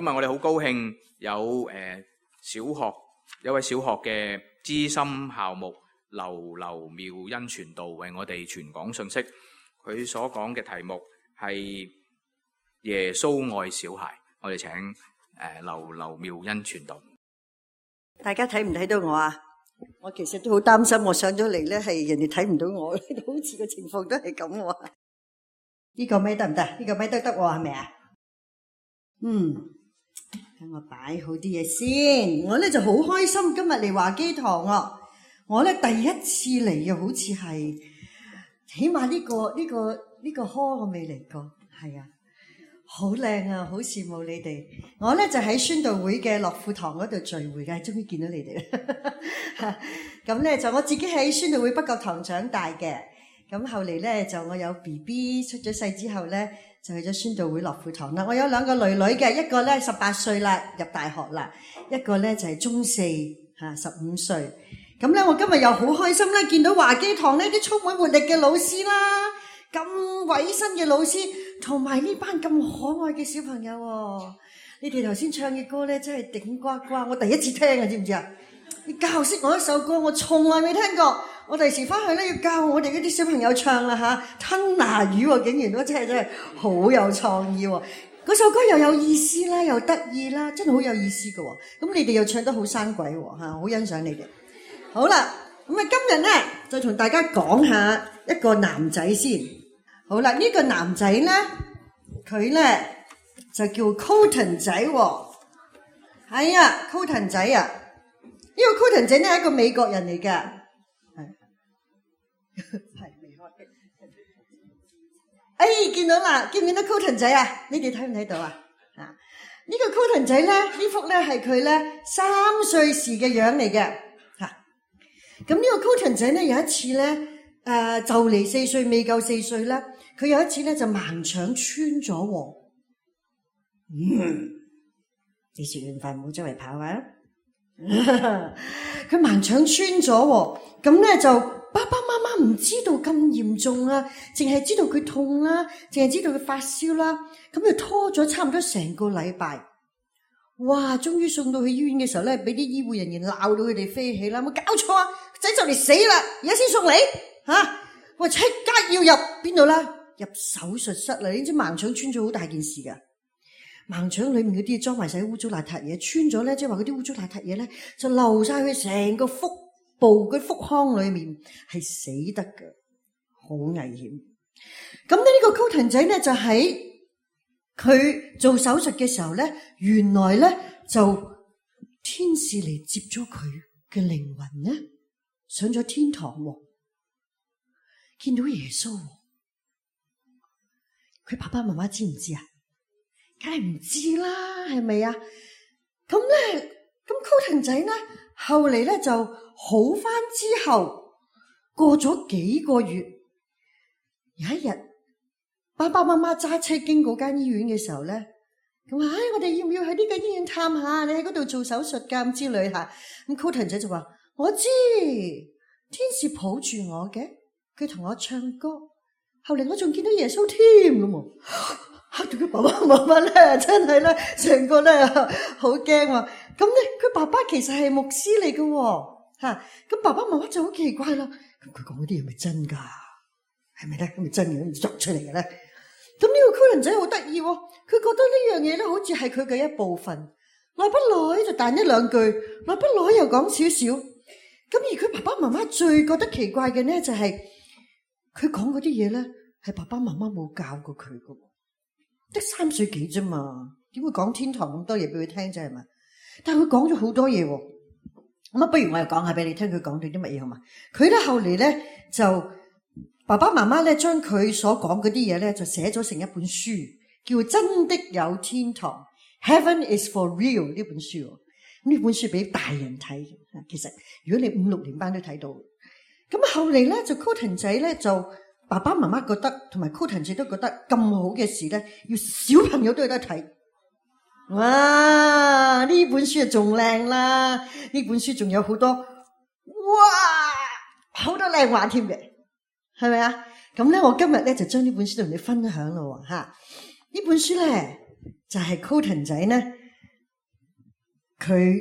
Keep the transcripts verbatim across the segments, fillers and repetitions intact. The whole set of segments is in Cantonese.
今日我哋好高興有誒、呃、小學有位小學嘅資深校牧劉劉妙恩傳道為我哋傳講信息。佢所講嘅題目係耶穌愛小孩。我哋請誒、呃、劉劉妙恩傳道。大家睇唔睇到我啊？我其實都好擔心，我上咗嚟咧係人哋睇唔到我，好似個情況都係咁喎。呢個咪得唔得？呢個咪得得喎，係咪啊？嗯，等我擺好啲嘢先。我咧就好開心，今日嚟華基堂啊！我咧第一次嚟，又好似係起碼呢個呢個呢個科我未嚟過，係啊，好靚啊，好羨慕你哋。我咧就喺宣道會嘅樂富堂嗰度聚會嘅，終於見到你哋啦。咁咧就我自己喺宣道會北角堂長大嘅。咁後嚟咧就我有 B B 出咗世之後咧，就去咗宣道會樂富堂啦。我有兩個女女嘅，一個咧十八歲啦，入大學啦，一個咧就係中四吓，十五歲。咁咧我今日又好開心咧，見到華基堂呢啲充滿活力嘅老師啦，咁委身嘅老師，同埋呢班咁可愛嘅小朋友喎。你哋頭先唱嘅歌咧真係頂呱呱，我第一次聽啊，知唔知啊？你教識我一首歌，我從來未聽過。我第時翻去咧要教我哋嗰啲小朋友唱啦吓，吞拿魚喎，竟然都真係真係好有創意喎！嗰首歌又有意思啦，又得意啦，真係好有意思噶喎！咁你哋又唱得好生鬼喎吓，好欣賞你哋。好啦，咁啊今日咧就同大家講下一個男仔先。好啦，呢、這個男仔咧，佢咧就叫 Colton 仔喎。係啊 Colton 仔啊，呢、這個 Colton 仔咧係一個美國人嚟嘅。係未開嘅。哎，見到啦，見唔見到 Colton 仔啊？你哋睇唔睇到啊？啊，呢個 Colton 仔咧，呢幅咧係佢咧三歲時嘅樣嚟嘅。吓，咁呢個 Colton 仔咧有一次咧，誒就嚟四歲未夠四歲啦，佢有一次咧就盲腸穿咗喎。嗯，你食完飯唔好周圍跑啊！佢盲腸穿咗喎，咁咧就。爸爸媽媽唔知道咁嚴重啊，淨係知道佢痛啦，淨係知道佢發燒啦，咁就拖咗差唔多成個禮拜。哇！終於送到去醫院嘅時候咧，俾啲醫護人員鬧到佢哋飛起啦！冇搞錯啊，仔就嚟死啦，而家先送嚟吓，我即刻要入邊度啦？入手術室啦！你知盲腸穿咗好大件事噶，盲腸裏面嗰啲裝埋晒污糟邋遢嘢，穿咗咧，即係話嗰啲污糟邋遢嘢咧就流晒去成個腹部嘅腹腔裏面，係死得嘅，好危險。咁呢個 Colton 仔咧就喺佢做手術嘅時候咧，原來咧就天使嚟接咗佢嘅靈魂咧，上咗天堂喎，見到耶穌喎。佢爸爸媽媽知唔知啊？梗係唔知啦，係咪啊？咁咧，咁 Colton 仔咧後嚟咧就好翻之後，過咗幾個月，有一日，爸爸媽媽揸車經過間醫院嘅時候咧，咁話：唉，我哋要唔要去呢個醫院探下？你喺嗰度做手術㗎咁之類嚇。咁 Colton 仔就話：我知，天使抱住我嘅，佢同我唱歌，後嚟我仲見到耶穌添咁喎。嚇到佢爸爸媽媽咧，真係咧，成個咧好驚喎。咁咧，佢爸爸其實係牧師嚟嘅喎，嚇。咁爸爸媽媽就好奇怪啦。咁佢講嗰啲係咪真㗎？係咪咧？係咪真嘅？作出嚟嘅咧？咁呢個 Colton 仔好得意喎，佢覺得呢樣嘢咧，好似係佢嘅一部分。耐不耐就彈一兩句，耐不耐又講少少。咁而佢爸爸媽媽最覺得奇怪嘅咧，就係佢講嗰啲嘢咧，係爸爸媽媽冇教過佢嘅，得三歲幾啫嘛，點會講天堂咁多嘢俾佢聽啫係嘛？但係佢講咗好多嘢喎，咁啊，不如我又講下俾你聽，佢講到啲乜嘢好嘛？佢咧後嚟咧就爸爸媽媽咧將佢所講嗰啲嘢咧就寫咗成一本書，叫《真的有天堂》，Heaven is for real 呢本書。咁呢本書俾大人睇，其實如果你五六年班都睇到。咁後嚟咧就 Colton 仔咧就爸爸媽媽覺得，同埋 Colton 仔都覺得咁好嘅事咧，要小朋友都有得睇。哇！呢本書就仲靚啦，呢本書仲有好多，哇，好多靚話添嘅，係咪啊？咁咧，我今日咧就將呢本書同你分享咯，吓。呢本書咧就係 Colton 仔咧佢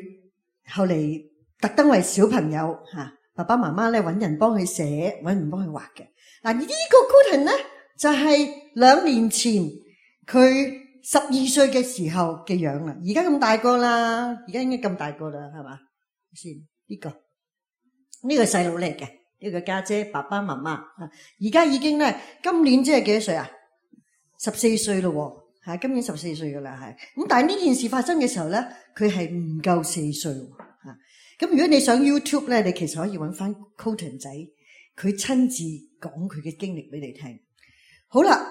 後嚟特登為小朋友吓，爸爸媽媽咧揾人幫佢寫，揾人幫佢畫嘅。嗱，呢個 Colton 咧就係兩年前佢十二歲嘅時候嘅樣啦，而家咁大個啦，而家應該咁大個啦，係嘛？先呢個呢個細佬嚟嘅，呢個家姐爸爸媽媽啊，而家已經咧今年即係幾多歲啊？十四歲咯。係今年十四歲噶啦，係咁。但係呢件事發生嘅時候咧，佢係唔夠四歲吓。咁如果你上 YouTube 咧，你其實可以揾翻 Colton 仔，佢親自講佢嘅經歷俾你聽。好啦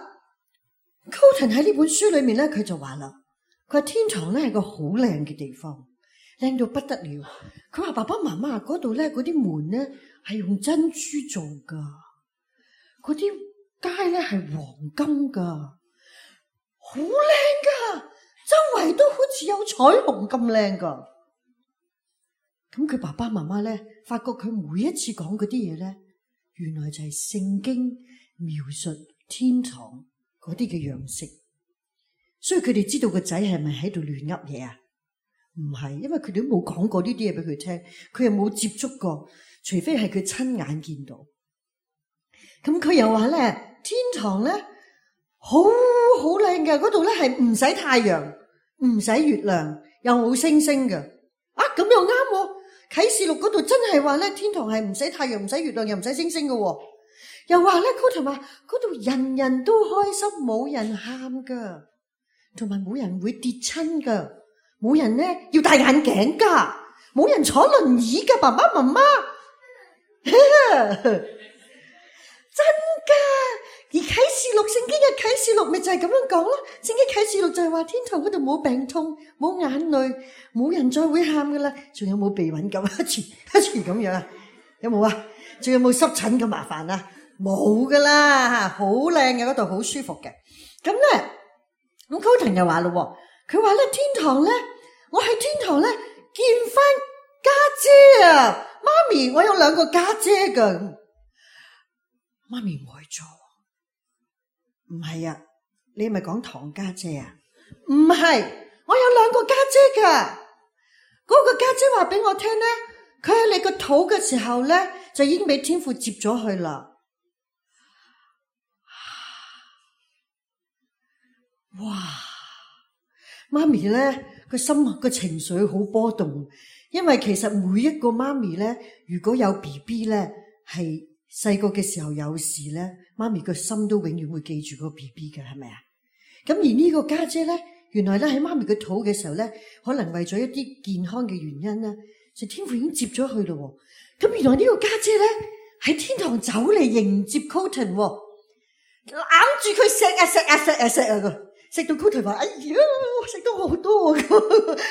，Colton 喺呢本書裏面咧，佢就話啦，佢話天堂咧係個好靚嘅地方，靚到不得了。佢話爸爸媽媽嗰度咧，嗰啲門咧係用珍珠做噶，嗰啲街咧係黃金噶。好靚噶，周圍都好似有彩虹咁靚噶。咁佢爸爸媽媽咧，發覺佢每一次講嗰啲嘢咧，原來就係聖經描述天堂嗰啲嘅樣式。所以佢哋知道個仔係咪喺度亂噏嘢啊？唔係，因為佢哋都冇講過呢啲嘢俾佢聽，佢又冇接觸過，除非係佢親眼見到。咁佢又話咧，天堂咧好好靚嘅，嗰度咧係唔使太陽，唔使月亮，又冇星星嘅。啊，咁又啱喎！啟示錄嗰度真係話咧，天堂係唔使太陽，唔使月亮，又唔使星星嘅。又話咧，Colton話嗰度人人都開心，冇人喊噶，同埋冇人會跌親噶，冇人咧要戴眼鏡噶，冇人坐輪椅噶，爸爸媽媽真噶。而啟示錄聖經嘅啟示錄咪就係咁樣講咯，聖經啟示錄就係話天堂嗰度冇病痛，冇眼淚，冇人再會喊噶啦，仲有冇鼻敏感一次一次咁樣啊？有冇啊？仲有冇濕疹咁麻煩啊？冇噶啦，好靚嘅嗰度，好舒服嘅。咁咧，咁 Colton 又話咯，佢話咧天堂咧，我喺天堂咧見翻家姐啊，媽咪，我有兩個家姐噶，媽咪愛咗。唔係啊，你係咪講堂家姐啊？唔係，我有兩個家姐噶。嗰個家姐話俾我聽咧，佢喺你個肚嘅時候咧，就已經俾天父接咗去啦。哇！媽咪咧個心個情緒好波動，因為其實每一個媽咪咧，如果有 B B 咧，係細個嘅時候有事咧，媽咪個心都永遠會記住個 B B 嘅，係咪啊？咁而呢個家姐咧，原來咧喺媽咪個肚嘅時候咧，可能為咗一啲健康嘅原因咧，就天父已經接咗去咯。咁原來呢個家姐咧喺天堂走嚟迎接 Colton，攬住佢錫啊錫啊錫啊錫啊個，錫到 Colton話：哎呀，食到好多啊！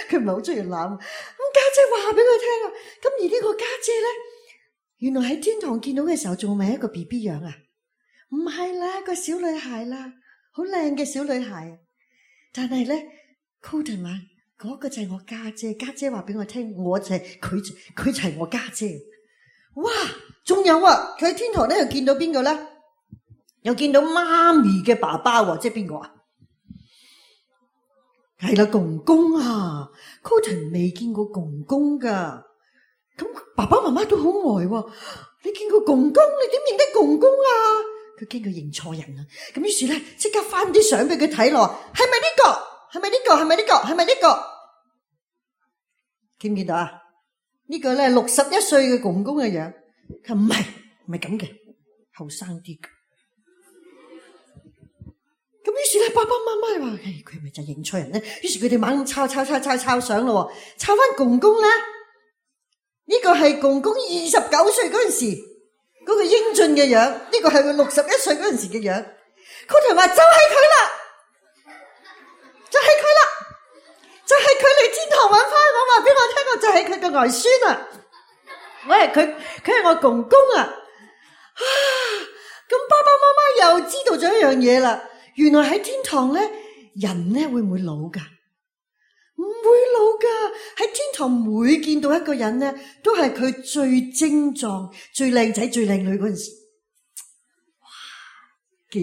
佢唔係好中意攬。咁家姐話俾佢聽啊，咁而呢個家姐咧，原來喺天堂見到嘅時候仲係一個 B B 樣啊？唔係啦，個小女孩啦，好靚嘅小女孩。但係咧 Colton 話嗰個就係我家姐，家姐話俾我聽，我就係佢，佢就係我家姐。哇！仲有啊，佢喺天堂咧又見到邊個咧？又見到媽咪嘅爸爸喎，即係邊個啊？係啦，公公啊 Colton 未見過公公噶，咁爸爸媽媽都好呆喎。你見過公公，你點認得公公啊？佢驚佢認錯人啊！咁於是咧，即刻翻啲相俾佢睇咯。係咪呢個？係咪呢個？係咪呢個？係咪呢個？見唔見到啊？呢個咧六十一歲嘅公公嘅樣，佢唔係唔係咁嘅，後生啲嘅。咁於是咧，爸爸媽媽話：誒，佢係咪就認錯人咧？於是佢哋猛咁抄抄抄抄抄相咯，抄翻公公咧。呢個係公公二十九歲嗰陣時嗰個英俊嘅樣，呢個係佢六十一歲嗰陣時嘅樣。Colton話：就係佢啦，就係佢啦，就係佢嚟天堂揾翻我，話俾我聽，我就係佢嘅外孫啊！我係佢，佢係我公公啊！啊！咁爸爸媽媽又知道咗一樣嘢啦。原來喺天堂咧，人咧會唔會老噶？唔會老噶。喺天堂每見到一個人咧，都係佢最精壯、最靚仔、最靚女嗰陣時。哇！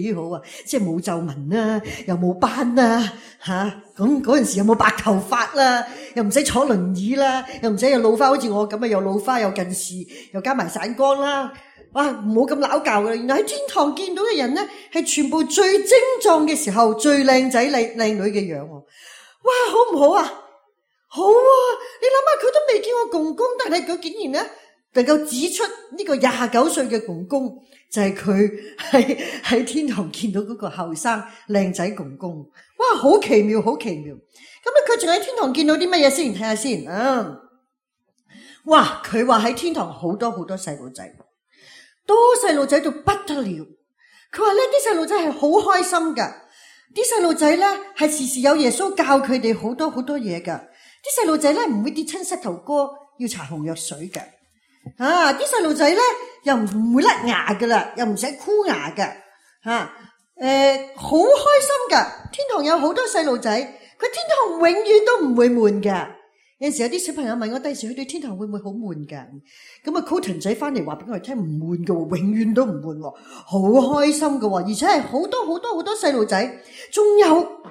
幾好啊！即係冇皺紋啦，又冇斑啦，吓咁嗰陣時有冇白頭髮啦，又唔使坐輪椅啦，又唔使又老花，好似我咁啊，又老花又近視，又加埋散光啦。哇，唔好咁拗教嘅。原來喺天堂見到嘅人咧，係全部最精壯嘅時候，最靚仔靚靚女嘅樣。哇，好唔好啊？好啊！你諗下，佢都未見過公公，但係佢竟然咧能夠指出呢個廿九歲嘅公公就係佢喺喺天堂見到嗰個後生靚仔公公。哇，好奇妙，好奇妙！咁啊，佢仲喺天堂見到啲乜嘢先？睇下先啊！哇，佢話喺天堂好多好多細路仔，多細路仔到不得了。佢話呢啲細路仔係好開心噶，啲細路仔咧係時時有耶穌教佢哋好多好多嘢噶。啲細路仔咧唔會跌親膝頭哥，要搽紅藥水嘅。啊，啲細路仔咧又唔會甩牙噶啦，又唔使箍牙嘅。吓、啊，誒、呃，好開心噶！天堂有好多細路仔，佢天堂永遠都唔會悶噶。有陣時有啲小朋友問我，第時去到天堂會唔會好悶噶？咁啊 Colton 仔翻嚟話俾我哋聽，唔悶噶，永遠都唔悶，好開心噶，而且係好多好多好多細路仔，仲有。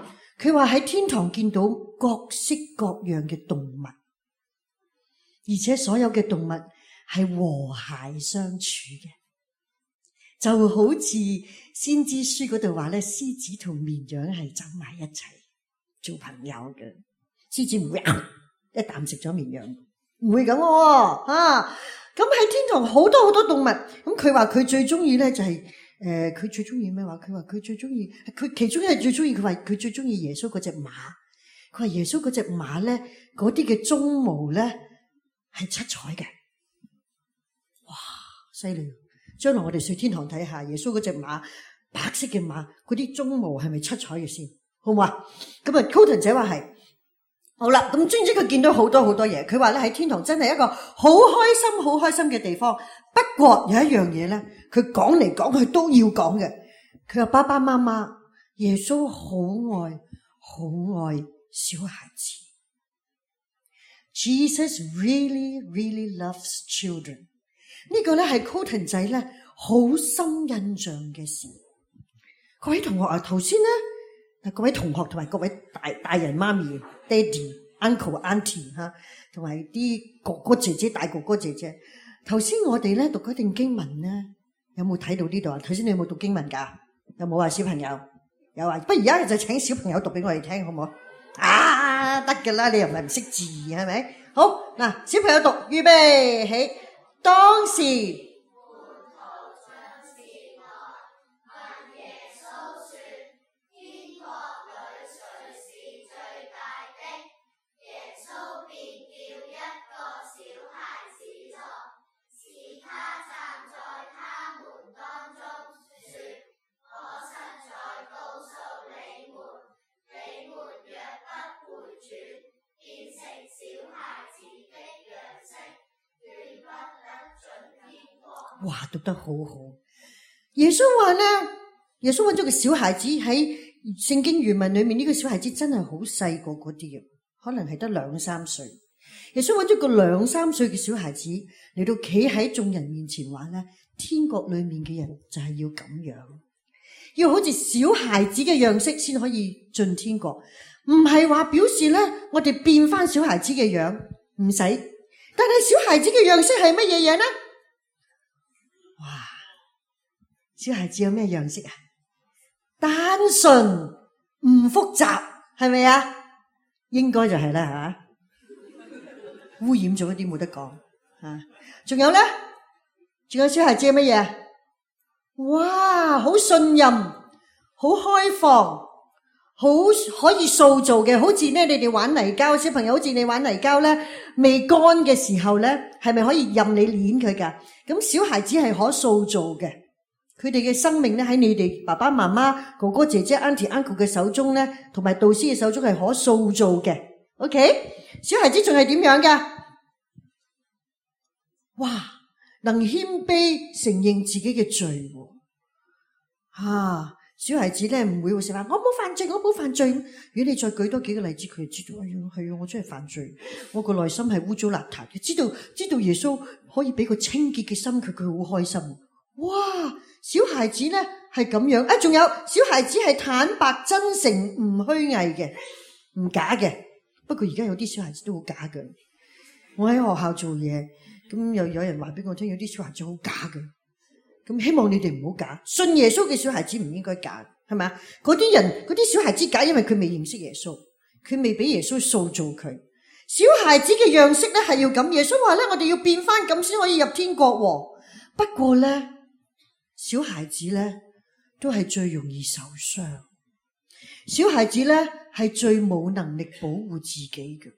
佢話喺天堂見到各式各樣嘅動物，而且所有嘅動物係和諧相處嘅，就好似先知書嗰度話咧，獅子同綿羊係走埋一齊做朋友嘅。獅子唔會一啖食咗綿羊，唔會咁啊！咁喺天堂好多好多動物，咁佢話佢最中意咧就係。誒，佢、呃、最中意咩話？佢話佢最中意，佢其中一係最中意。佢話佢最中意耶穌嗰隻馬。佢話耶穌嗰隻馬咧，嗰啲嘅鬃毛咧係七彩嘅。哇，犀利！將來我哋上天堂睇下耶穌嗰隻馬，白色嘅馬，嗰啲鬃毛係咪七彩嘅先？好唔好啊？咁啊 Colton 姐話係。好啦，咁總之佢見到好多好多嘢。佢話咧喺天堂真係一個好開心、好開心嘅地方。不過有一樣嘢咧，佢講嚟講去都要講嘅。佢話爸爸媽媽，耶穌好愛、好愛小孩子。Jesus really, really loves children。呢個咧係 Colton 仔咧好深印象嘅事。各位同學啊，頭先咧，各位同學同埋各位大大人媽咪、爹哋、uncle、auntie 吓，同埋啲哥哥姐姐、大哥哥姐姐。頭先我哋咧讀嗰段經文咧，有冇睇到呢度啊？頭先你有冇讀經文噶？有冇啊？小朋友有啊？不如而家就請小朋友讀俾我哋聽，好唔好？啊，得噶啦，你又唔係唔識字，係咪？好嗱，小朋友讀，預備起，當時。哇，讀得好好！耶穌話咧，耶穌揾咗個小孩子喺聖經原文裏面，呢個小孩子真係好細個嗰啲嘅，可能係得兩三歲。耶穌揾咗個兩三歲嘅小孩子嚟到企喺眾人面前話咧，天國裏面嘅人就係要咁樣，要好似小孩子嘅樣式先可以進天國，唔係話表示咧我哋變翻小孩子嘅樣，唔使。但係小孩子嘅樣式係乜嘢嘢呢？哇！小孩子有咩樣式啊？單純唔複雜，係咪啊？應該就係啦吓，污染咗一啲冇得講吓。仲有咧，仲有小孩子係乜嘢？哇！好信任，好開放，好可以塑造嘅，好似咧你哋玩泥膠，小朋友好似你玩泥膠咧，未乾嘅時候咧，係咪可以任你捏佢噶？咁小孩子係可塑造嘅，佢哋嘅生命咧喺你哋爸爸媽媽、哥哥姐姐、auntie uncle 嘅手中咧，同埋導師嘅手中係可塑造嘅。OK， 小孩子仲係點樣噶？哇，能謙卑承認自己嘅罪，啊！小孩子咧唔會會成話我冇犯罪，我冇犯罪。如果你再舉多幾個例子，佢就知道，哎呀，係啊，我真係犯罪，我個內心係污糟邋遢嘅。知道知道耶穌可以俾個清潔嘅心佢，佢好開心。哇！小孩子咧係咁樣啊，仲有小孩子係坦白真誠唔虛偽嘅，唔假嘅。不過而家有啲小孩子都好假嘅。我喺學校做嘢，咁又有人話俾我聽，有啲小孩子好假嘅。咁希望你哋唔好假，信耶穌嘅小孩子唔應該假，係咪啊？嗰啲人嗰啲小孩子假，因為佢未認識耶穌，佢未俾耶穌塑造佢。小孩子嘅樣式咧係要咁，耶穌話咧我哋要變翻咁先可以入天國喎。不過咧，小孩子咧都係最容易受傷，小孩子咧係最冇能力保護自己嘅。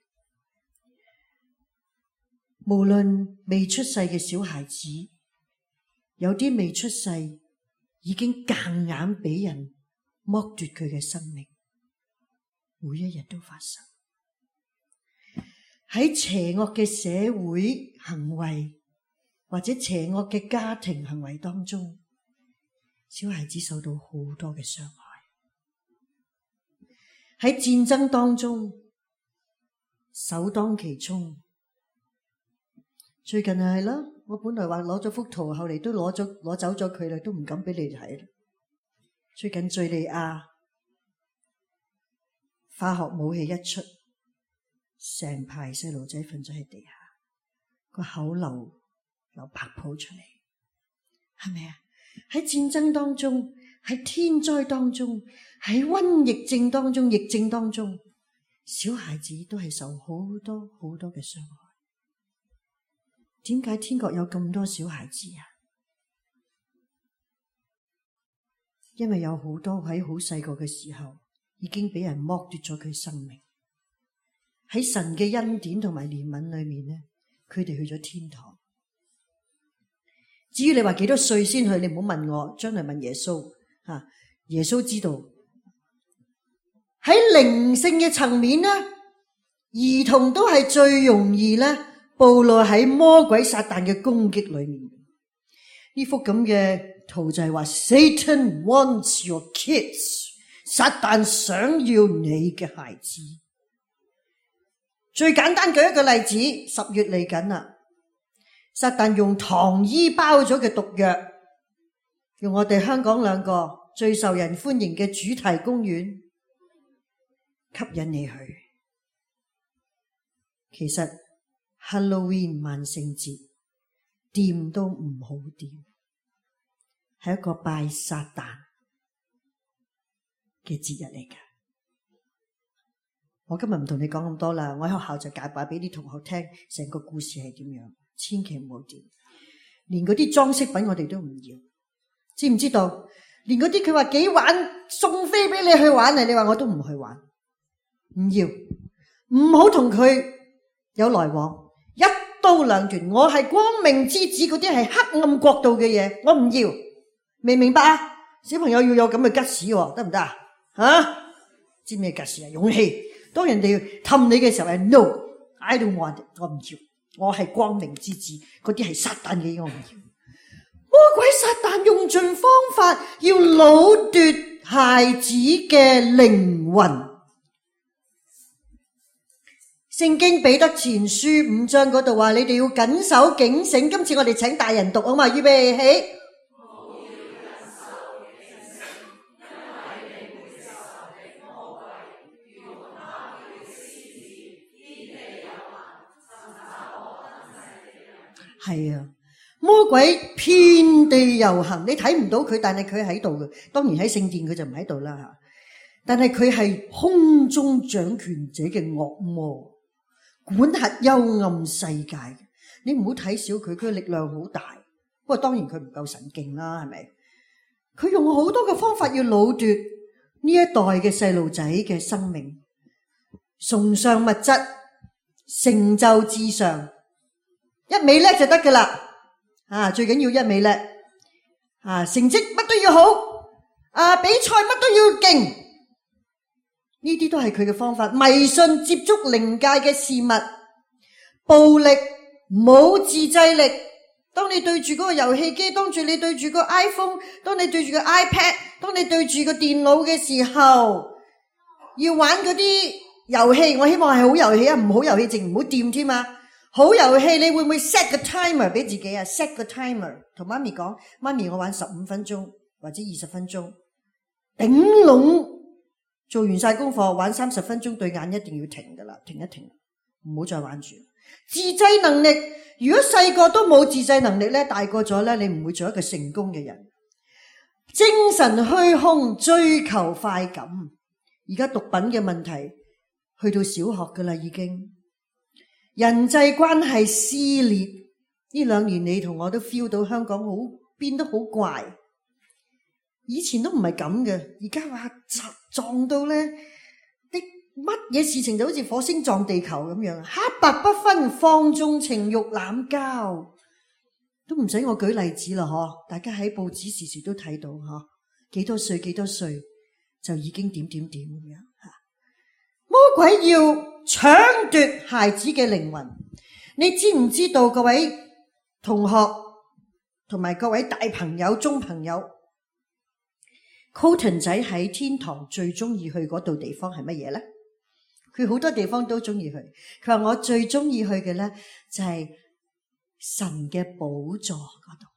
無論未出世嘅小孩子，有啲未出世已經夾硬俾人剝奪佢嘅生命，每一日都發生。喺邪惡嘅社會行為或者邪惡嘅家庭行為當中，小孩子受到好多嘅傷害。喺戰爭當中首當其衝。最近係啦，我本來話攞咗幅圖，後嚟都攞咗攞走咗佢啦，都唔敢俾你睇啦。最近敘利亞化學武器一出，成排細路仔瞓咗喺地下，個口流流白泡出嚟，係咪啊？喺戰爭當中，喺天災當中，喺瘟疫症當中，疫症當中，小孩子都係受好多好多嘅傷害。點解天國有咁多小孩子啊？因為有好多喺好細個嘅時候已經俾人剝奪咗佢生命。喺神嘅恩典同埋憐憫裏面咧，佢哋去咗天堂。至於你話幾多歲先去，你唔好問我，將來問耶穌吓，耶穌知道。喺靈性嘅層面咧，兒童都係最容易咧暴露喺魔鬼撒旦嘅攻擊裏面。呢幅咁嘅圖就係話 Satan wants your kids， 撒旦想要你嘅孩子。最簡單舉一個例子，十月嚟緊啦，撒旦用糖衣包咗嘅毒藥，用我哋香港兩個最受人歡迎嘅主題公園吸引你去。其實 Halloween 萬聖節掂都唔好掂，係一個拜撒旦嘅節日嚟㗎。我今日唔同你講咁多啦，我喺學校就解擺俾啲同學聽，成個故事係點樣，千祈唔好掂。連嗰啲裝飾品我哋都唔要，知唔知道？連嗰啲佢話幾玩送飛俾你去玩啊，你話我都唔去玩，唔要，唔好同佢有來往，一刀兩斷。我係光明之子，嗰啲係黑暗國度嘅嘢，我唔要，明唔明白啊？小朋友要有咁嘅吉士，得唔得啊？吓，知咩吉士啊？勇氣。當人哋氹你嘅時候係 no，I don't want it， 我唔要，我係光明之子，嗰啲係撒旦嘅嘢我唔要。魔鬼撒旦用盡方法要擄奪孩子嘅靈魂。聖經彼得前書五章嗰度話，你哋要謹守警醒。今次我哋請大人讀啊嘛，預備起。係啊，魔鬼遍地遊行，你睇唔到佢，但係佢喺度嘅。當然喺聖殿佢就唔喺度啦吓，但係佢係空中掌權者嘅惡魔，管轄幽暗世界。你唔好睇小佢，佢嘅力量好大。不過當然佢唔夠神勁啦，係咪？佢用好多嘅方法要擄奪呢一代嘅細路仔嘅生命，崇尚物質，成就至上。一味叻就得噶啦，啊，最緊要一味叻，啊，成績乜都要好，啊，比賽乜都要勁，呢啲都係佢嘅方法。迷信，接觸靈界嘅事物，暴力，冇自制力。當你對住嗰個遊戲機，當住你對住個 iPhone， 當你對住個 iPad， 當你對住個電腦嘅時候，要玩嗰啲遊戲，我希望係好遊戲啊，唔好遊戲淨唔好掂添啊。好遊戲你會唔會 set 個 timer 俾自己啊？ set 個 timer 同媽咪講，媽咪我玩十五分鐘，或者二十分鐘，頂籠做完晒功課玩三十分鐘，對眼一定要停噶啦，停一停，唔好再玩住。自制能力，如果細個都冇自制能力咧，大個咗咧，你唔會做一個成功嘅人。精神虛空，追求快感。而家毒品嘅問題去到小學噶啦，已經人際關係撕裂。呢兩年你同我都 feel 到香港好變得好怪，以前都唔係咁嘅，而家話撞到咧，啲乜嘢事情就好似火星撞地球咁樣，黑白不分，放縱情慾，濫交。都唔使我舉例子啦，嗬！大家喺報紙時時都睇到，嗬，幾多歲幾多歲就已經點點點咁樣吓。魔鬼要搶奪孩子嘅靈魂，你知唔知道？各位同學同埋各位大朋友、中朋友 ，Colton 仔喺天堂最中意去嗰度地方係乜嘢咧？佢好多地方都中意去，佢話我最中意去嘅咧就係、是。神嘅寶座嗰度，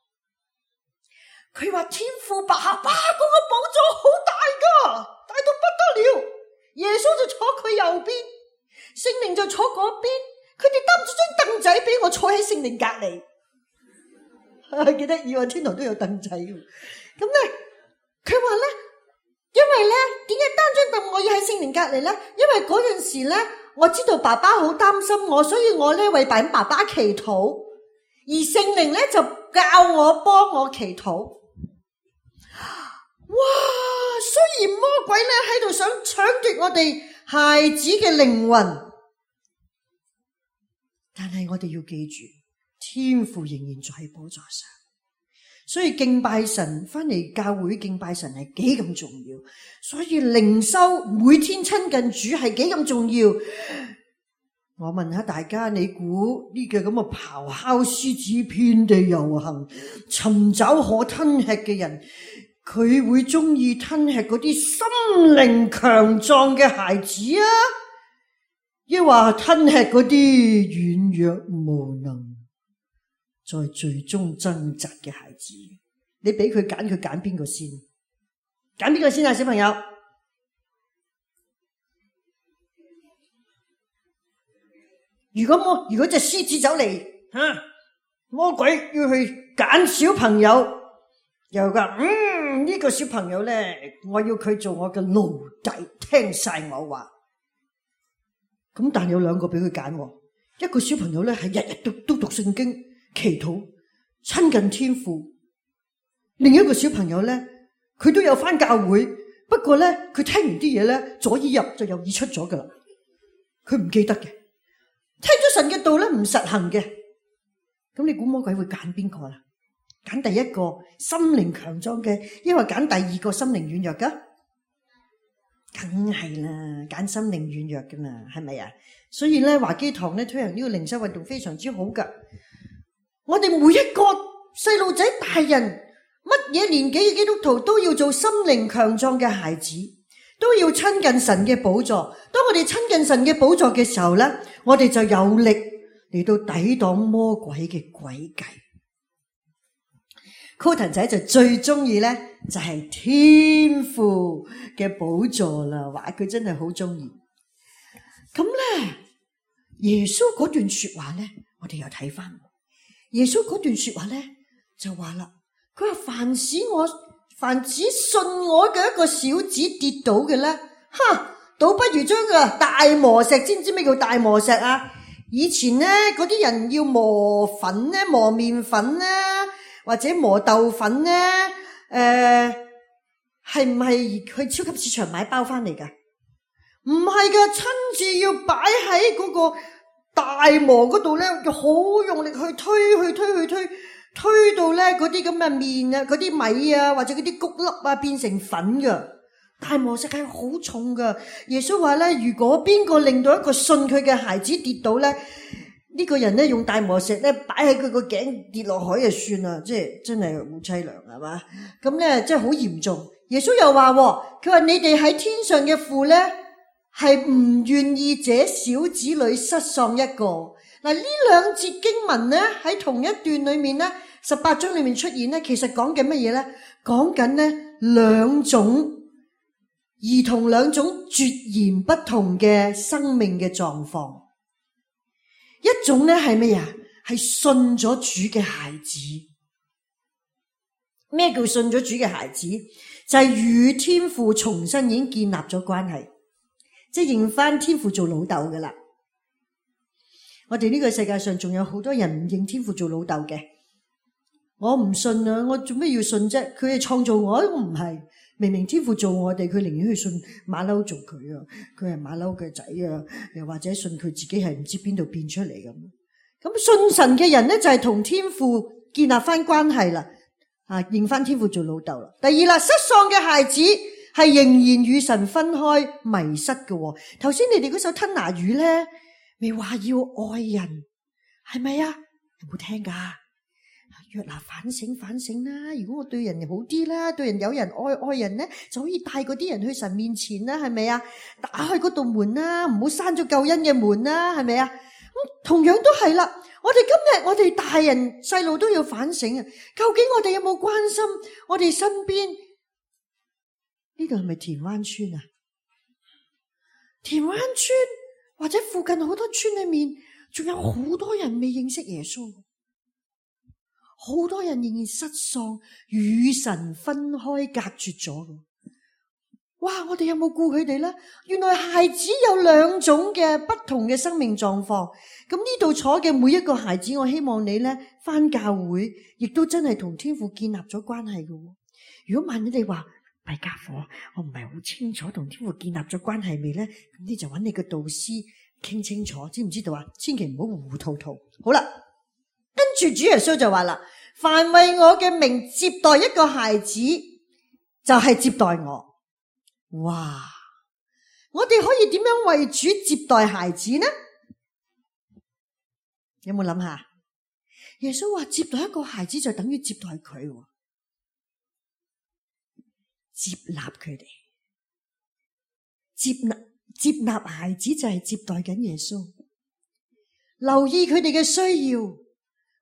佢話天父爸爸嗰個寶座好大噶，大到不得了。耶穌就坐佢右邊，聖靈就坐嗰邊，佢哋擔咗張凳仔俾我坐喺聖靈隔籬。記得以為天堂都有凳仔，咁咧佢話咧，因為咧點解擔張凳我要喺聖靈隔籬咧？因為嗰陣時咧，我知道爸爸好擔心我，所以我咧為爸爸爸祈禱。而聖靈咧就教我幫我祈禱。哇！雖然魔鬼咧喺度想搶奪我哋孩子嘅靈魂，但係我哋要記住，天父仍然在寶座上。所以敬拜神，翻嚟教會敬拜神係幾咁重要。所以靈修每天親近主係幾咁重要。我問下大家，你估呢個咁嘅咆哮獅子遍地遊行，尋找可吞吃嘅人，佢會中意吞吃嗰啲心靈強壯嘅孩子啊，抑或吞吃嗰啲軟弱無能，在最終掙扎嘅孩子？你俾佢揀，佢揀邊個先？揀邊個先啊，小朋友？如果魔如果隻獅子走嚟，吓，魔鬼要去揀小朋友，又話嗯呢個小朋友咧，我要佢做我嘅奴隸，聽晒我話。咁但有兩個俾佢揀，一個小朋友咧係日日都都讀聖經、祈禱、親近天父；另一個小朋友咧，佢都有返教會，不過咧佢聽完啲嘢咧，左耳入就右耳出咗噶啦，佢唔記得嘅。聽咗神嘅道咧，唔實行嘅，咁你估魔鬼會揀邊個啦？揀第一個心靈強壯嘅，抑或揀第二個心靈軟弱噶？梗係啦，揀心靈軟弱噶嘛，係咪啊？所以咧，華基堂咧推行呢個靈修運動非常之好噶。我哋每一個細路仔、大人，乜嘢年紀嘅基督徒都要做心靈強壯嘅孩子。都要親近神嘅寶座。當我哋親近神嘅寶座嘅時候咧，我哋就有力嚟到抵擋魔鬼嘅詭計。Colton仔就最中意咧，就係天父嘅寶座啦，話佢真係好中意。咁咧，耶穌嗰段說話咧，我哋又睇翻。耶穌嗰段說話咧，就話啦，佢話凡使我。凡只信我嘅一個小子跌倒嘅咧，哈，倒不如將個大磨石，知唔知咩叫大磨石啊？以前咧嗰啲人要磨粉咧，磨麵粉咧，或者磨豆粉咧，誒，係唔係去超級市場買包翻嚟噶？唔係噶，親自要擺喺嗰個大磨嗰度咧，就好用力去推，去推，去推。推到咧嗰啲咁嘅麵啊，嗰啲米啊，或者嗰啲穀粒啊，變成粉噶。大磨石係好重噶。耶穌話咧，如果邊個令到一個信佢嘅孩子跌倒咧，呢個人咧用大磨石咧擺喺佢個頸跌落海就算啦，即係真係好淒涼係嘛？咁咧即係好嚴重。耶穌又話，佢話你哋喺天上嘅父咧係唔願意這小子裏失喪一個。嗱，呢兩節經文咧喺同一段裏面咧。十八章裏面出現咧，其實講緊乜嘢咧？講緊呢兩種兒童兩種截然不同嘅生命嘅狀況。一種呢係咩呀？係信咗主嘅孩子。咩叫信咗主嘅孩子？就係與天父重新已經建立咗關係，即係認翻天父做老豆噶啦。我哋呢個世界上仲有好多人唔認天父做老豆嘅。我唔信啊！我做咩要信啫？佢係創造我，我唔係。明明天父做我哋，佢寧願去信馬騮做佢啊！佢係馬騮嘅仔啊！又或者信佢自己係唔知邊度變出嚟咁。咁信神嘅人咧，就係同天父建立翻關係啦，啊，認翻天父做老豆啦。第二啦，失喪嘅孩子係仍然與神分開迷失嘅。頭先你哋嗰首吞拿魚咧，未話要愛人，係咪啊？有冇聽噶？約拿反省反省啦！如果我對人好啲啦，對人有人愛愛人咧，就可以帶嗰啲人去神面前啦，係咪啊？打開嗰道門啦，唔好閂咗救恩嘅門啦，係咪啊？咁同樣都係啦。我哋今日我哋大人細路都要反省啊！究竟我哋有冇關心我哋身邊？呢度係咪田灣村啊？田灣村或者附近好多村裏面，仲有好多人未認識耶穌。好多人仍然失喪，與神分開隔絕咗。哇！我哋有冇顧佢哋呢？原來孩子有兩種嘅不同嘅生命狀況。咁呢度坐嘅每一個孩子，我希望你呢返教會，亦都真係同天父建立咗關係嘅。如果萬一你話弊家伙，我唔係好清楚同天父建立咗關係未呢？咁你就揾你個導師傾清楚，知唔知道啊？千祈唔好糊糊塗塗。好啦。跟住主耶穌就話啦，凡為我嘅名接待一個孩子，就係接待我。哇！我哋可以點樣為主接待孩子呢？有冇諗下？耶穌話接待一個孩子就等於接待佢，接納佢哋，接納接納孩子就係接待緊耶穌，留意佢哋嘅需要，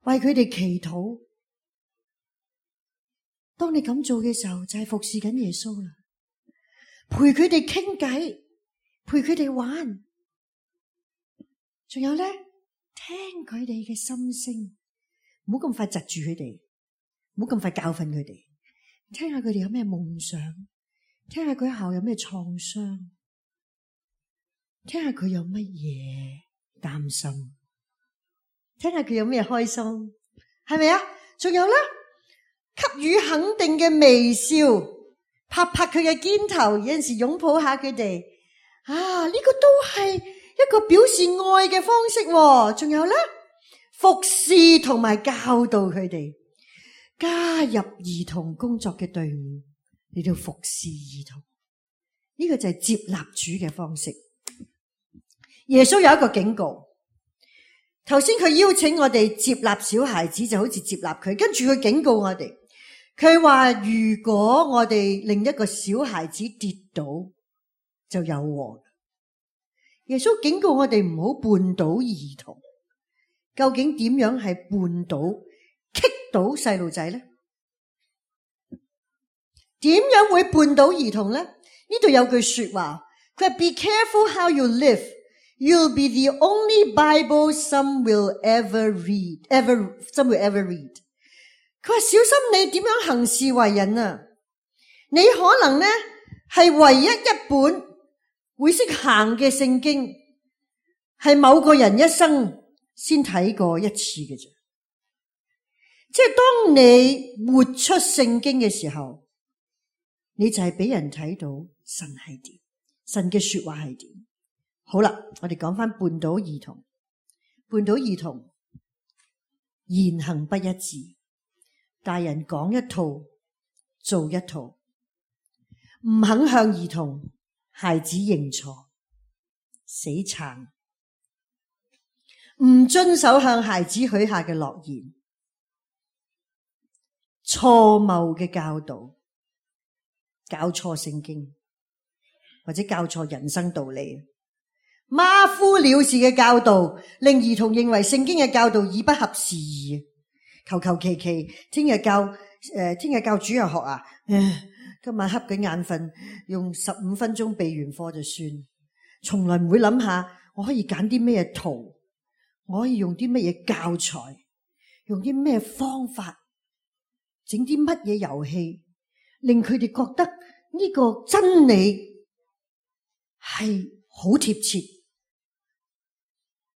為佢哋祈禱。當你咁做嘅時候，就係服侍緊耶穌啦，陪佢哋傾偈，陪佢哋玩，仲有咧，聽佢哋嘅心聲，唔好咁快窒住佢哋，唔好咁快教訓佢哋，聽下佢哋有咩夢想，聽下佢後有咩創傷，聽下佢有乜嘢擔心，聽下佢有咩開心，係咪啊？仲有咧，給予肯定嘅微笑，拍拍佢嘅肩頭，有陣時擁抱下佢哋，啊，呢個都係一個表示愛嘅方式。仲有咧，服侍同埋教導佢哋，加入兒童工作嘅隊伍，嚟到服侍兒童，呢個就係接納主嘅方式。耶穌有一個警告，頭先佢邀請我哋接納小孩子，就好似接納佢，跟住佢警告我哋，佢話如果我哋令一個小孩子跌倒，就有禍。耶穌警告我哋唔好絆倒兒童。究竟點樣係絆倒、棘倒細路仔呢？點樣會絆倒兒童呢？呢度有句說話，佢話 Be careful how you live. You'll be the only Bible some will ever read, ever some will ever read. 佢話小心你點樣行事為人啊！你可能呢係唯一一本會識行嘅聖經，係某個人一生先睇過一次嘅啫。即係當你活出聖經嘅時候，你就係俾人睇到神係點，神嘅說話係點。好啦，我哋講翻絆倒兒童。絆倒兒童言行不一致，大人講一套做一套，唔肯向兒童孩子認錯，死撐，唔遵守向孩子許下嘅諾言，錯謬嘅教導，教錯聖經或者教錯人生道理，馬虎了事嘅教導，令兒童認為聖經嘅教導已不合時宜，求求其其聽日教誒，聽日教主日學啊，唉，今晚瞌緊眼瞓，用十五分鐘備完課就算，從來唔會諗下我可以揀啲咩圖，我可以用啲乜嘢教材，用啲咩方法，整啲乜嘢遊戲，令佢哋覺得呢個真理係好貼切，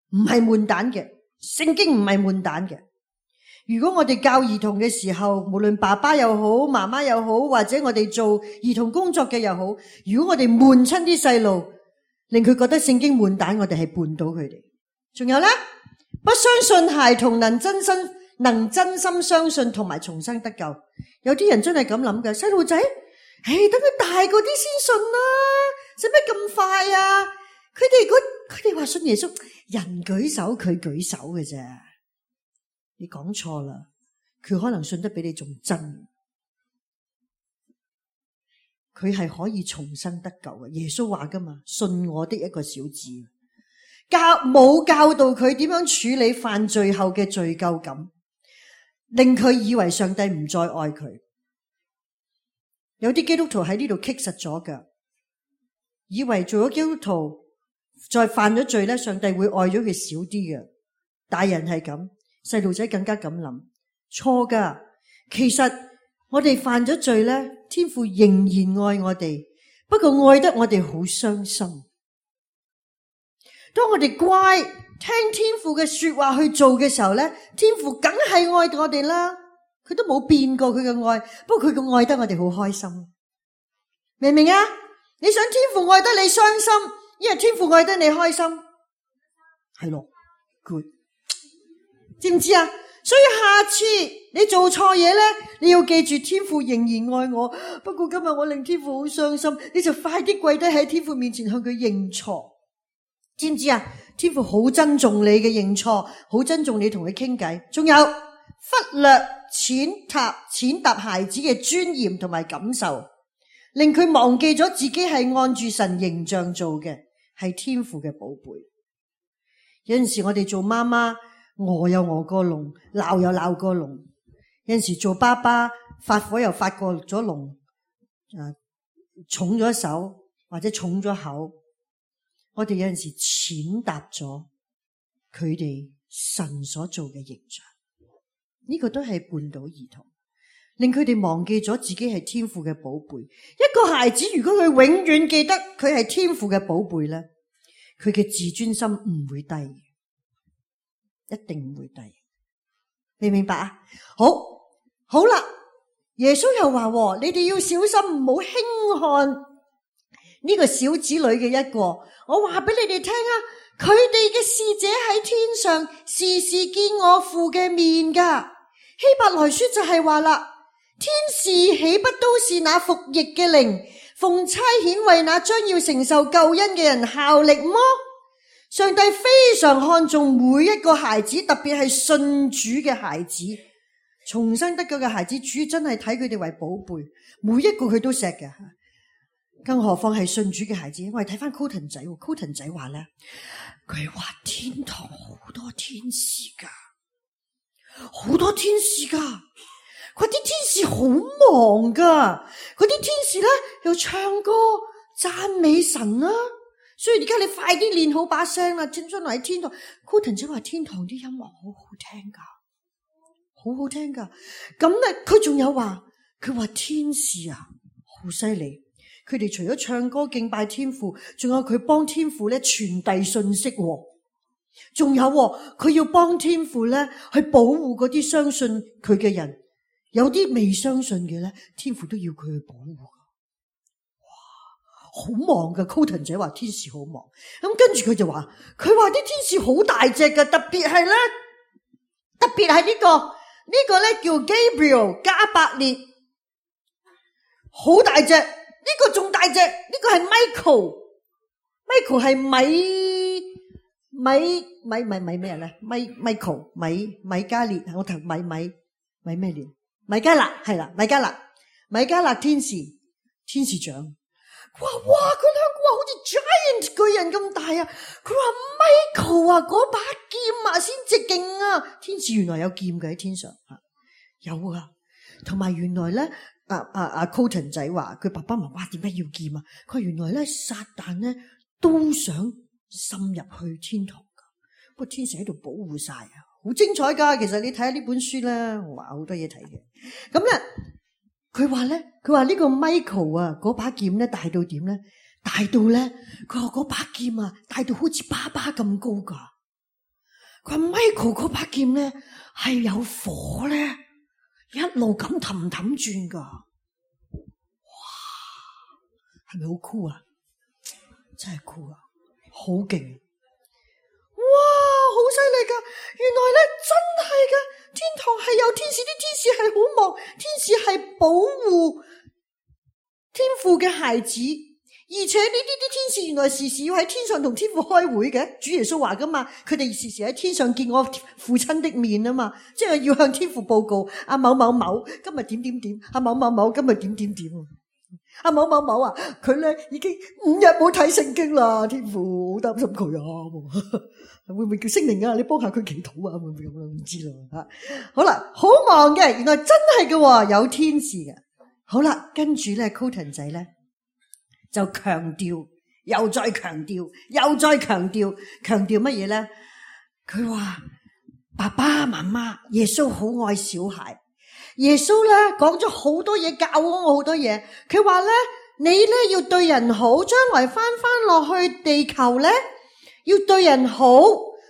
唔係悶蛋嘅，聖經唔係悶蛋嘅。如果我哋教兒童嘅時候，無論爸爸又好，媽媽又好，或者我哋做兒童工作嘅又好，如果我哋悶親啲細路，令佢覺得聖經悶蛋，我哋係絆倒佢哋。仲有咧，不相信孩童能真心能真心相信同埋重生得救。有啲人真係咁諗嘅，細路仔，唉，等佢大個啲先信啦，使乜咁快啊？佢哋佢哋話信耶穌，人舉手佢舉手嘅啫。你講錯啦，佢可能信得比你仲真，佢係可以重生得救嘅。耶穌話噶嘛，信我的一個小子，教冇教導佢點樣處理犯罪後嘅罪疚感，令佢以為上帝唔再愛佢。有啲基督徒喺呢度棘實咗㗎，以為做咗基督徒再犯咗罪咧，上帝會愛咗佢少啲嘅。大人係咁，細路仔更加咁諗，錯噶。其實我哋犯咗罪咧，天父仍然愛我哋，不過愛得我哋好傷心。當我哋乖聽天父嘅說話去做嘅時候咧，天父梗係愛我哋啦，佢都冇變過佢嘅愛，不過佢嘅愛得我哋好開心，明唔明啊？你想天父愛得你傷心，因為天父愛得你開心，係咯 ，good。知唔知啊？所以下次你做錯嘢咧，你要記住天父仍然愛我。不過今日我令天父好傷心，你就快啲跪低喺天父面前向佢認錯。知唔知啊？天父好珍重你嘅認錯，好珍重你同佢傾偈。仲有忽略踐踏踐踏孩子嘅尊嚴同埋感受，令佢忘記咗自己係按住神形象做嘅，係天父嘅寶貝。有陣時我哋做媽媽，餓有餓過籠，鬧有鬧過籠。有陣時做爸爸，發火又發過咗籠，誒，重咗手或者重咗口。我哋有陣時踐踏咗佢哋神所做嘅形象，呢個都係絆倒兒童，令佢哋忘記咗自己係天父嘅寶貝。一個孩子如果佢永遠記得佢係天父嘅寶貝咧，佢嘅自尊心唔會低。一定唔會低，你明白啊？好，好啦，耶穌又話：你哋要小心，唔好輕看呢個小子女嘅一個。我話俾你哋聽啊，佢哋嘅使者喺天上，時時見我父嘅面噶。希伯來書就係話啦，天使豈不都是那服役嘅靈，奉差遣為那將要承受救恩嘅人效力麼？上帝非常看重每一個孩子，特別係信主嘅孩子，重生得救嘅孩子，主真係睇佢哋為寶貝，每一個佢都錫嘅。更何況係信主嘅孩子，我哋睇翻 Coton 仔 ，Coton 仔話咧，佢話天堂好多天使噶，好多天使噶，佢啲天使好忙噶，嗰啲天使咧又唱歌讚美神啦。所以而家你快啲練好把聲啦，將將來喺天堂。Coton 姐話天堂啲音樂好好聽噶，好好聽噶。咁咧，佢仲有話，佢話天使啊，好犀利。佢哋除咗唱歌敬拜天父，仲有佢幫天父咧傳遞信息。仲有佢要幫天父咧去保護嗰啲相信佢嘅人，有啲未相信嘅咧，天父都要佢去保護。好忙噶 Coton 姐話天使好忙，咁跟住佢就話，佢話啲天使好大隻噶，特別係咧，特別係呢個呢個咧叫 Gabriel 加百列，好大隻，呢個仲大隻，呢個係 Michael，Michael 係米米米米米咩咧？米 Michael 米米加列，我頭米米米咩列？米加勒係啦，米加勒，米加勒天使，天使長。哇哇！佢兩個話好似 giant 巨人咁大啊！佢話 Michael 啊，嗰把劍啊先至勁啊！天使原來有劍嘅喺天上吓，有啊！同埋原來咧，阿阿阿 Colton 仔話佢爸爸媽媽點解要劍啊？佢話原來咧撒旦咧都想滲入去天堂噶，不過天使喺度保護晒啊，好精彩噶。其實你睇下呢本書咧，哇好多嘢睇嘅。咁咧，佢話咧，佢話呢個 Michael 啊，嗰把劍咧大到點咧？大到咧，佢話嗰把劍啊，大到好似爸爸咁高噶。佢話 Michael 嗰把劍咧係有火咧，一路咁氹氹轉噶。哇，係咪好酷啊？真係酷啊，好勁！哇，好犀利噶！原來咧真係噶，天堂係有天使，啲天使係好忙，天使係保護天父嘅孩子。而且呢啲啲天使原來時時要喺天上同天父開會嘅，主耶穌話噶嘛，佢哋時時喺天上見我父親的面啊嘛，即係要向天父報告阿某某某今日點點點，阿某某某今日點點點，阿某某某啊，佢咧已經五日冇睇聖經啦，天父好擔心佢啊，會唔會叫聖靈啊？你幫下佢祈禱啊？會唔會咁啊？唔知啦吓。好啦，好忙嘅，原來真係嘅，有天使嘅。好啦，跟住咧 Colton 仔咧。就強調，又再強調，又再強調，強調乜嘢咧？佢話爸爸媽媽，耶穌好愛小孩。耶穌咧講咗好多嘢，教我好多嘢。佢話咧，你咧要對人好，將來翻翻落去地球咧，要對人好，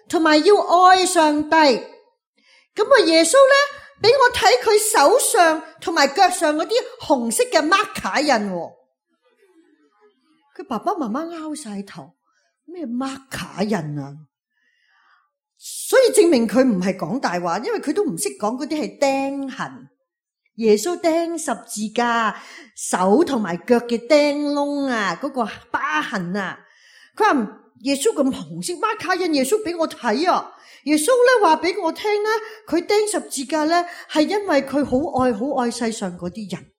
同埋要愛上帝。咁啊，耶穌咧俾我睇佢手上同埋腳上嗰啲紅色嘅 marker 印。佢爸爸媽媽拗晒頭，咩 marker 印啊？所以證明佢唔係講大話，因為佢都唔識講嗰啲係釘痕。耶穌釘十字架，手同埋腳嘅釘窿啊，嗰個疤痕啊。佢話耶穌咁紅色 marker 印，耶穌俾我睇啊。耶穌咧話俾我聽咧，佢釘十字架咧係因為佢好愛好愛世上嗰啲人。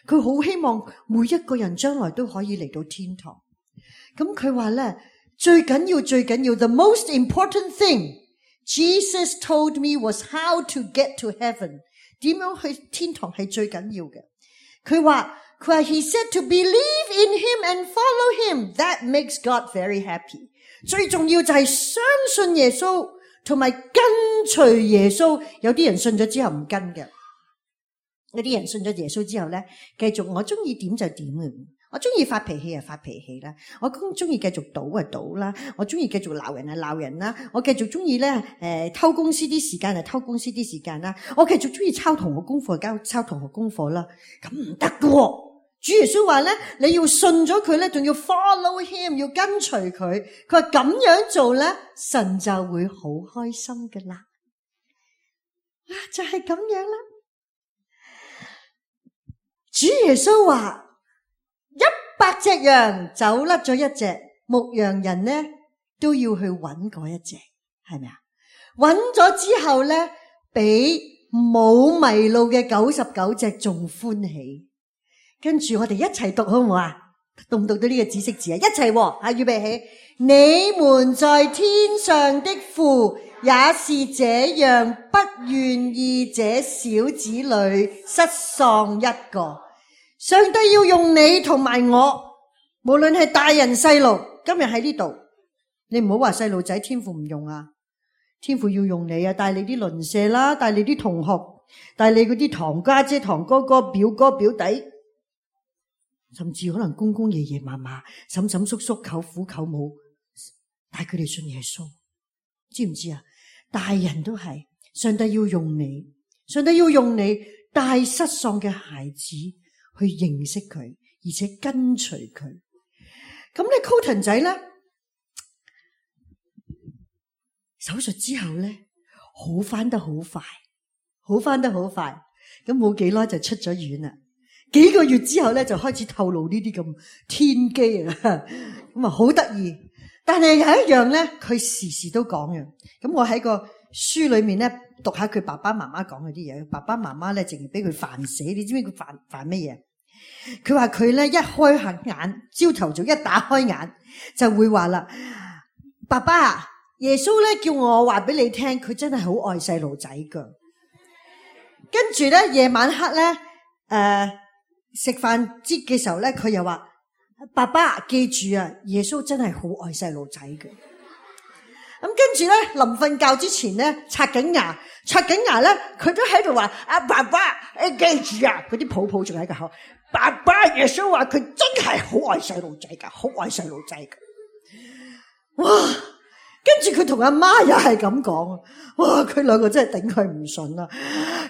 佢好希望每一個人將來都可以嚟到天堂。咁佢話咧，最緊要最緊要 the most important thing Jesus told me was how to get to heaven。 點樣去天堂係最緊要嘅。佢話佢話 he said to believe in him and follow him, that makes God very happy。 最重要就係相信耶穌同埋跟隨耶穌。有啲人信咗之後唔跟嘅，有啲人信咗耶穌之後咧，繼續我中意點就點嘅，我中意發脾氣就發脾氣啦，我中意繼續賭就賭啦，我中意繼續鬧人就鬧人啦，我繼續中意咧誒偷公司啲時間就偷公司啲時間啦，我繼續中意抄同學功課就交抄同學功課啦，咁唔得㗎。主耶穌話咧，你要信咗佢咧，仲要 follow him， 要跟隨佢。佢話咁樣做咧，神就會好開心㗎啦。啊，就係咁樣啦。主耶穌話一百隻羊走甩咗一隻，牧羊人呢都要去揾嗰一隻，係咪啊？揾咗之後咧，比冇迷路嘅九十九隻仲歡喜。跟住我哋一齊讀好唔好啊？讀唔讀到呢個紫色字啊？一齊喎，啊，預備起。你們在天上的父也是這樣，不願意這小子裏失喪一個。上帝要用你同埋我，無論係大人細路，今日喺呢度，你唔好話細路仔天父唔用啊，天父要用你啊，帶你啲鄰舍啦，帶你啲同學，帶你嗰啲堂家姐、堂哥哥、表哥表弟，甚至可能公公爺爺嫲嫲、嬸嬸叔叔、舅父舅母，帶佢哋信耶穌，知唔知啊？大人都係，上帝要用你，上帝要用你帶失喪嘅孩子去認識佢，而且跟隨佢。咁你 Colton 仔咧，手術之後咧，好翻得好快，好翻得好快。咁冇幾耐就出咗院啦。幾個月之後咧，就開始透露呢啲咁天機啊，咁啊好得意。但係有一樣咧，佢時時都講嘅。咁我喺個書裏面咧讀下佢爸爸媽媽講嗰啲嘢。爸爸媽媽咧淨係俾佢煩死，你知唔知佢煩煩乜嘢？佢話佢咧一開下眼，朝頭早一打開眼就會話啦，爸爸，耶穌咧叫我話俾你聽，佢真係好愛細路仔噶。跟住咧夜晚黑咧誒食飯節嘅時候咧，佢又話：爸爸記住啊，耶穌真係好愛細路仔嘅。咁跟住咧，臨瞓覺之前咧，刷緊牙，刷緊牙咧，佢都喺度話：啊爸爸，誒記住啊！嗰啲泡泡仲喺個口。爸爸，耶穌話佢真係好愛細路仔噶，好愛細路仔噶。哇！跟住佢同阿媽又係咁講，哇！佢兩個真係頂佢唔順啦。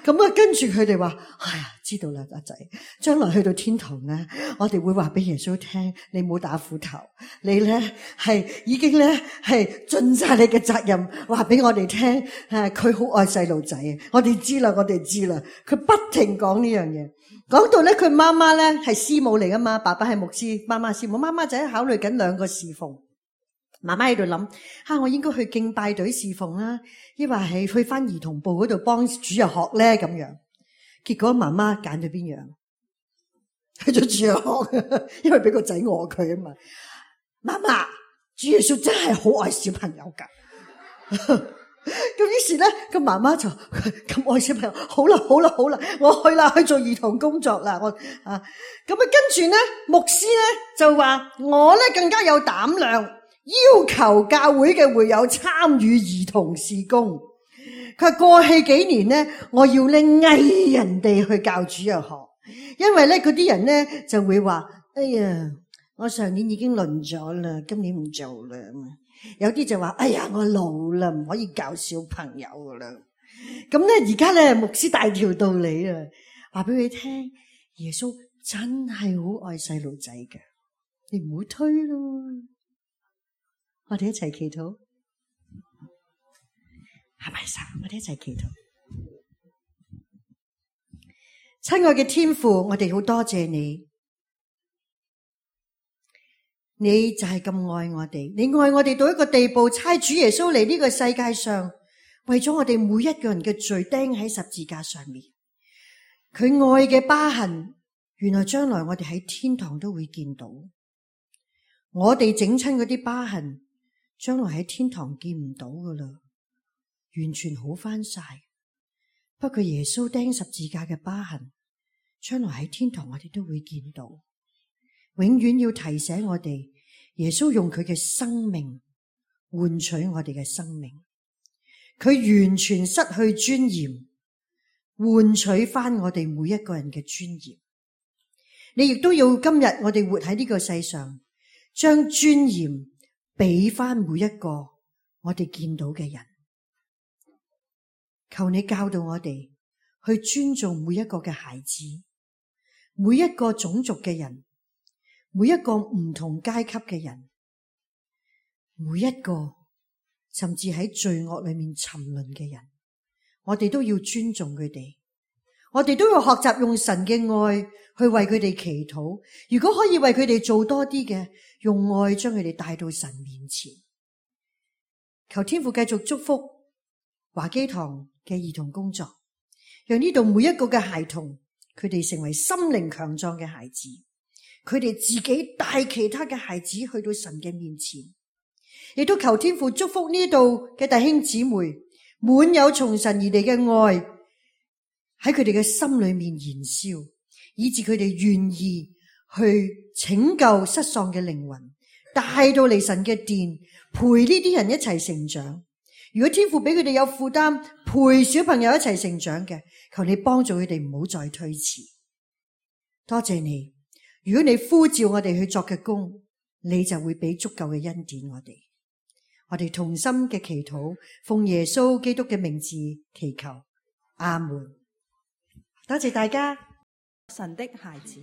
咁啊，跟住佢哋話：哎呀，知道啦，阿仔，將來去到天堂咧，我哋會話俾耶穌聽，你冇打斧頭，你咧係已經咧係盡晒你嘅責任，話俾我哋聽，誒，佢好愛細路仔，我哋知啦，我哋知啦。佢不停講呢樣嘢，講到咧佢媽媽咧係師母嚟噶嘛，爸爸係牧師，媽媽師母，媽媽就喺考慮緊兩個侍奉。媽媽喺度諗，吓，我應該去敬拜隊侍奉啦，抑或係去翻兒童部嗰度幫主日學咧咁樣。結果媽媽揀咗邊樣？去咗主日學，因為俾個仔餓佢啊嘛。媽媽，主耶穌真係好愛小朋友噶。咁於是咧，個媽媽就咁愛小朋友，好啦好啦好啦，我去啦，去做兒童工作啦。我啊，咁啊跟住咧，牧師咧就話我咧更加有膽量。要求教會嘅會友參與兒童事工。佢話過去幾年呢，我要咧嗌人哋去教主日學，因為咧嗰啲人咧就會話：哎呀，我上年已經輪咗啦，今年唔做啦。有啲就話：哎呀，我老啦，唔可以教小朋友噶啦。咁咧而家咧牧師大條道理啊，話俾佢聽，耶穌真係好愛細路仔嘅，你唔好推咯。我哋一齊祈禱，係咪神？我哋一齊祈禱。親愛嘅天父，我哋好多謝你，你就係咁愛我哋，你愛我哋到一個地步，差主耶穌嚟呢個世界上，為咗我哋每一個人嘅罪釘喺十字架上面。佢愛嘅疤痕，原來將來我哋喺天堂都會見到。我哋整親嗰啲疤痕，將來喺天堂見唔到噶啦，完全好翻晒。不過耶穌釘十字架嘅疤痕，將來喺天堂我哋都會見到。永遠要提醒我哋，耶穌用佢嘅生命換取我哋嘅生命，佢完全失去尊嚴，換取翻我哋每一個人嘅尊嚴。你亦都要今日我哋活喺呢個世上，將尊嚴俾翻每一個我哋見到嘅人。求你教導我哋去尊重每一個嘅孩子，每一個種族嘅人，每一個唔同階級嘅人，每一個甚至喺罪惡裏面沉淪嘅人，我哋都要尊重佢哋。我哋都要學習用神嘅愛去為佢哋祈禱。如果可以為佢哋做多啲嘅，用愛將佢哋帶到神面前。求天父繼續祝福華基堂嘅兒童工作，讓呢度每一個嘅孩童，佢哋成為心靈強壯嘅孩子，佢哋自己帶其他嘅孩子去到神嘅面前。亦都求天父祝福呢度嘅弟兄姊妹，滿有從神而嚟嘅愛喺佢哋嘅心裏面燃燒，以致佢哋願意去拯救失喪嘅靈魂，帶到嚟神嘅殿，陪呢啲人一齊成長。如果天父俾佢哋有負擔，陪小朋友一齊成長嘅，求你幫助佢哋唔好再推遲。多謝你，如果你呼召我哋去作嘅工，你就會俾足夠嘅恩典我哋。我哋同心嘅祈禱，奉耶穌基督嘅名字祈求，阿門。多謝大家。神的孩子，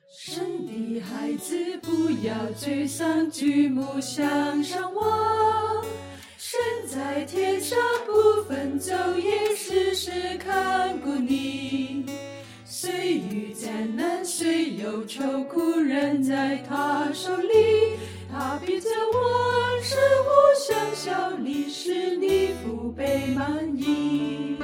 神的孩子，不要沮喪，舉目向上望。神在天上不分晝夜，時時看顧你。雖遇艱難，雖有愁苦，人在他手裡。他必將萬事互相效力，使你福杯滿溢。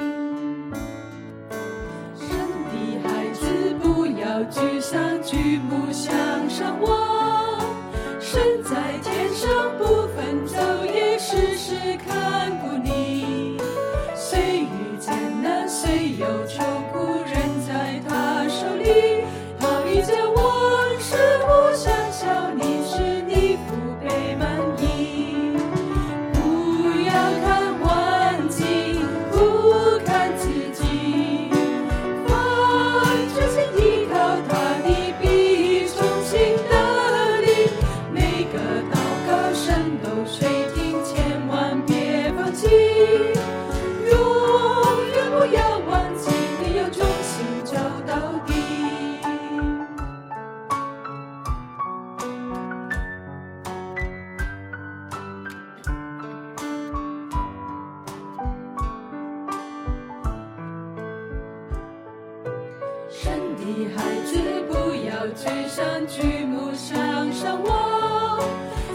子不要沮喪，舉目向上望，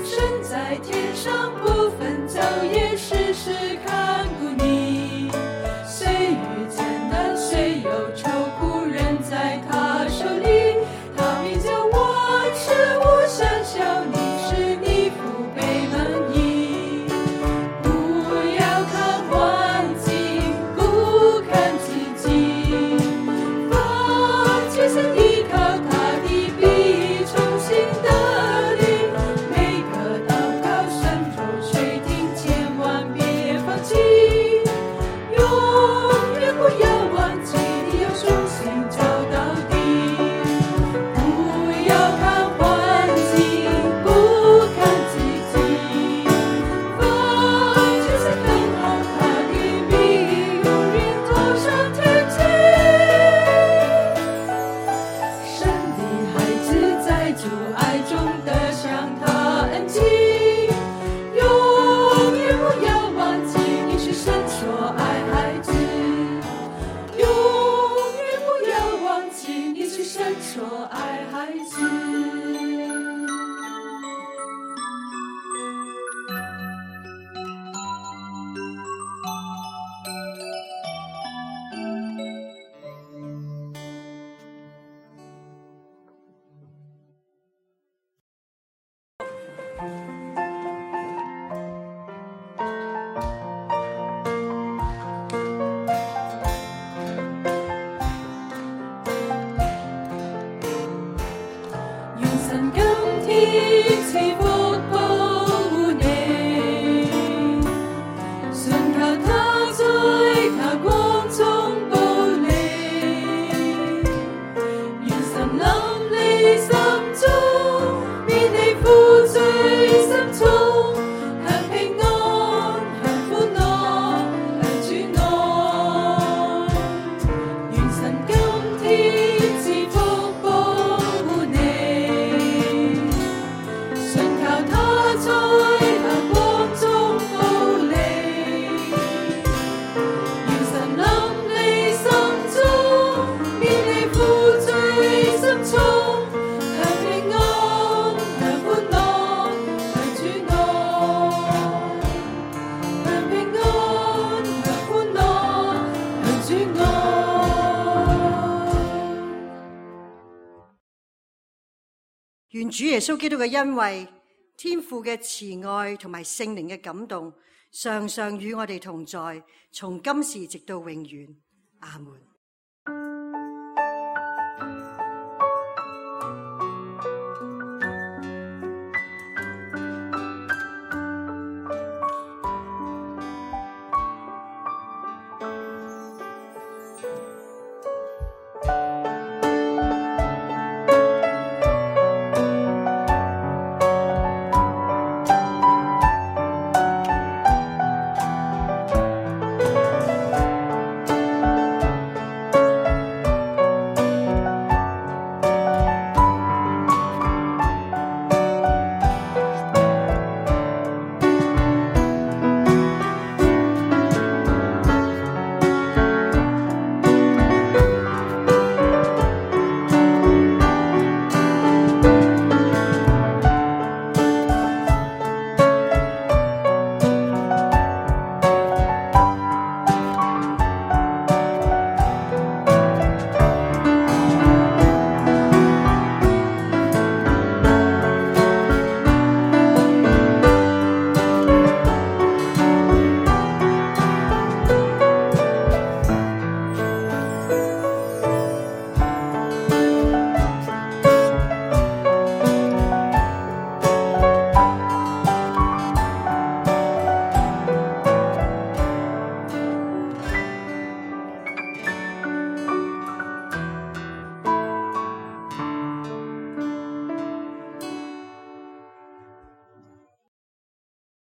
神在天上不分晝夜，時時看顧你。雖遇艱難，雖有愁苦，人在他手裏，他必叫萬事無相效，你使你福杯滿溢。不要看環境，不看自己，放棄先依靠他的必重新得力。每個禱告神都垂聽，千萬別放棄，永遠不要忘記，你要重新找到底。不要看環境，不看自己，放棄先看好他的命，永遠走上天際。神的孩子在主愛中得享他恩情，永遠不要忘記，你是神所愛孩子，永遠不要忘記，你是神所愛孩子。願神今天賜福保護你，信靠他在他光中保你。願神臨你心中，免你負罪深重，享平安，享歡樂，享主愛。願神今天賜福保護你，信靠他在他光中保你。願神臨你心中，免你負罪深重，享平安，享歡樂，享主愛。享平安，享歡樂，享主愛。願主耶穌基督嘅恩惠、天父嘅慈愛同埋聖靈嘅感動，常常與我哋同在，從今時直到永遠。阿門。